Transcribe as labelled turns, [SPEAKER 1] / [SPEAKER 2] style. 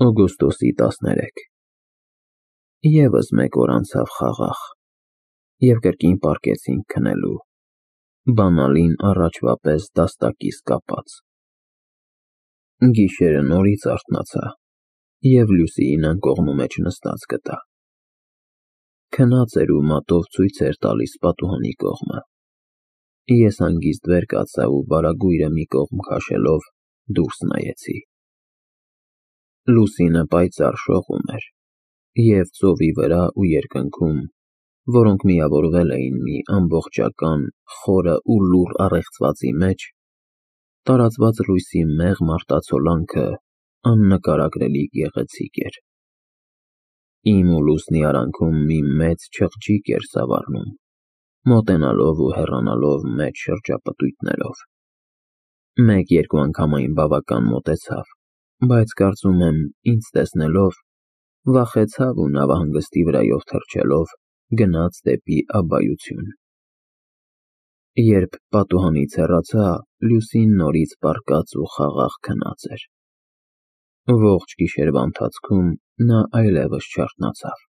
[SPEAKER 1] Օգոստոսի 13 Եվս մեկ օր անցավ խաղաղ, և կրկին պառկեցինք քնելու, բանալին առաջվա պես դաստակիս կապած։ Գիշերը նորից արթնացա և Լուսիին անկողնու մեջ նստած գտա։ Քնած էր ու մատով ցույց էր տալիս պատուհանի կողմը։ Ես հանգիստ վեր կացա ու վարագույրը մի կողմ քաշելով դուրս նայեցի։ Լուսինը պայծառ շողում էր, և ծովի վրա ու երկնքում, որոնք միավորվել էին մի ամբողջական խորը ու լուռ առեղծվածի մեջ, տարածված լույսի մեղմ արտացոլանքը աննկարագրելի գեղեցիկ էր։ Իմ ու Լուսնի արանքում մի մեծ չղջիկ էր սավառնում, մոտենալով ու հեռանալով մեծ շրջապտույտներով։ Մեկ-երկու անգամ այն բավական մոտեցավ, բայց կարծում եմ, ինձ տեսնելով, վախեցավ ու նավահանգստի վրայով թռչելով գնաց դեպի աբբայություն։ Երբ պատուհանից հեռացա, Լուսին նորից պառկած ու խաղաղ քնած էր։ Ողջ գիշերվա ընթացքում նա այլևս չարթնացավ։